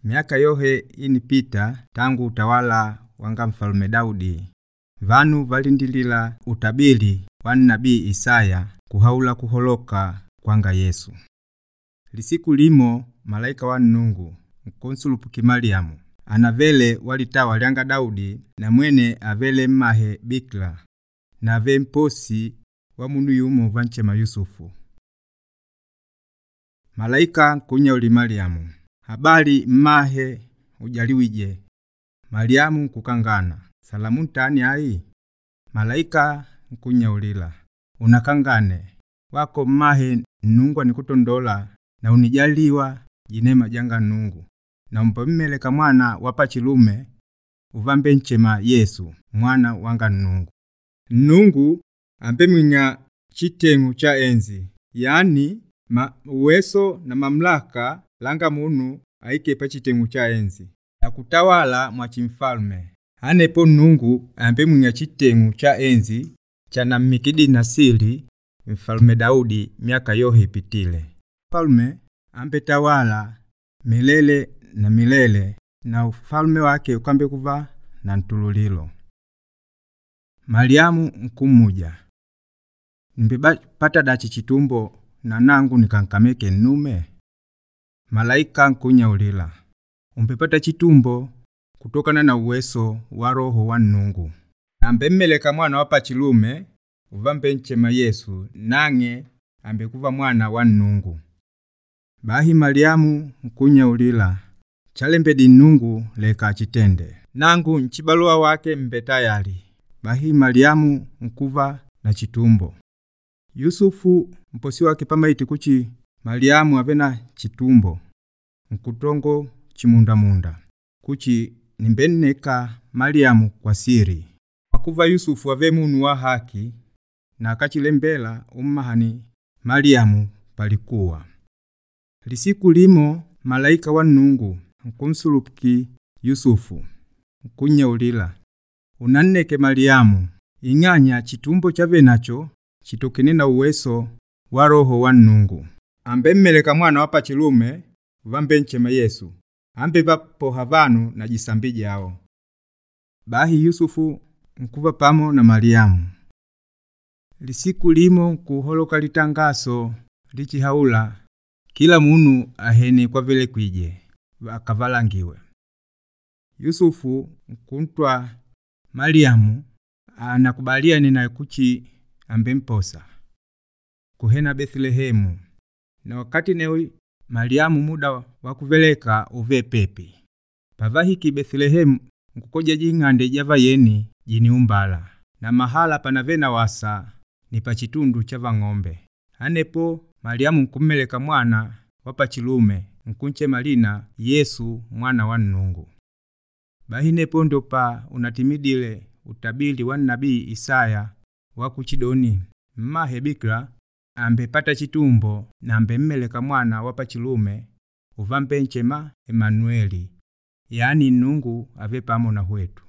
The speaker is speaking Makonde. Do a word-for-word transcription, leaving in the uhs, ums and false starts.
Miaka yohe inipita tangu utawala wanga mfalume Daudi, vanu valindilila utabili wa nabii Isaya kuhaula kuholoka kwanga Yesu. Lisiku limo malaika wa Nungu nkunsulupuki Mariamu anavele walitawa lyanga Daudi na mwene avele mmahe bikila na ave mposi wa munu yumo vanchema Yusufu. Malaika nkunyauli Mariamu, habari mmahe ujaliwije. Mariamu nkukangana, salamu ntani ai? Malaika nkunyaulila, unakangane wako mmahe Nungu nikutondola na unijaliwa jinema janga Nungu na umpemmeleka mwana wapachilume uvambe nchema Yesu mwana wanga Nungu. Nungu ambe mwinya chitengu cha enzi, yani ma uweso na mamlaka langa munu aike pa chitengu cha enzi na kutawala mwa chimfalme. Anepo Nungu ambe mwinya chitengu cha enzi cha namikidi nasili mfalme Daudi miaka yohe ipitile. Mfalme ambe tawala milele na milele na ufalme wake ukambe kuva na ntululilo. Mariamu nkumuja, nimbepata dachi chitumbo na nangu nikankameke nnume? Malaika nkunyaulila, umpepata chitumbo kutokana na uweso wa roho wa Nungu. Ambe mmeleka mwana wa pachilume uvambe nchema Yesu nange ambe kuva mwana wa Nungu. Bahi Mariamu nkunyaulila, chalembedi Nungu leka chitende, nangu nchibalua wake mbe tayari. Bahi Mariamu nkuva na chitumbo. Yusufu mposi wake pamaiti kuchi Mariamu avena chitumbo nkutongo chimundamunda kuchi nimbeneka Mariamu kwa siri. Akuva Yusufu ave munu wa haki na akachilembela ummahani Mariamu palikuwa. Lisiku limo malaika wa Nungu nkunsulupuki Yusufu nkunyaulila, unanneke Mariamu ing'anya chitumbo chave nacho chitokene na uweso wa roho wa Nungu. Ambe mmeleka mwana wa pachilume vambe nchema Yesu ambe vapoha vanu na jisambi jao. Bahi Yusufu nkuva pamo na Mariamu. Lisiku limo nkuholoka litangaso lichihaula kila munu ahene kwa vile kwije akavalangiwe. Yusufu nkuntwa Mariamu anakubaliane na kuchi ambe mposa kuhena Bethlehemu. Na wakati newi Mariamu muda wa kuveleka uve pepi. Pavahiki Bethlehemu nkukoja jing'ande java yeni jiniumbala na mahala panavena wasa ni pachitundu chava ng'ombe. Anepo Mariamu nkummeleka mwana wapachilume nkunche malina Yesu mwana wa Nungu. Bahinepo ndo pa unatimidile utabili wa nabii Isaya wa kuchidoni mmahe bikira ambe pata chitumbo na ambe mmeleka mwana wapachilume uvambe nchema Emanueli, yani Nungu ave pamo na hwetu.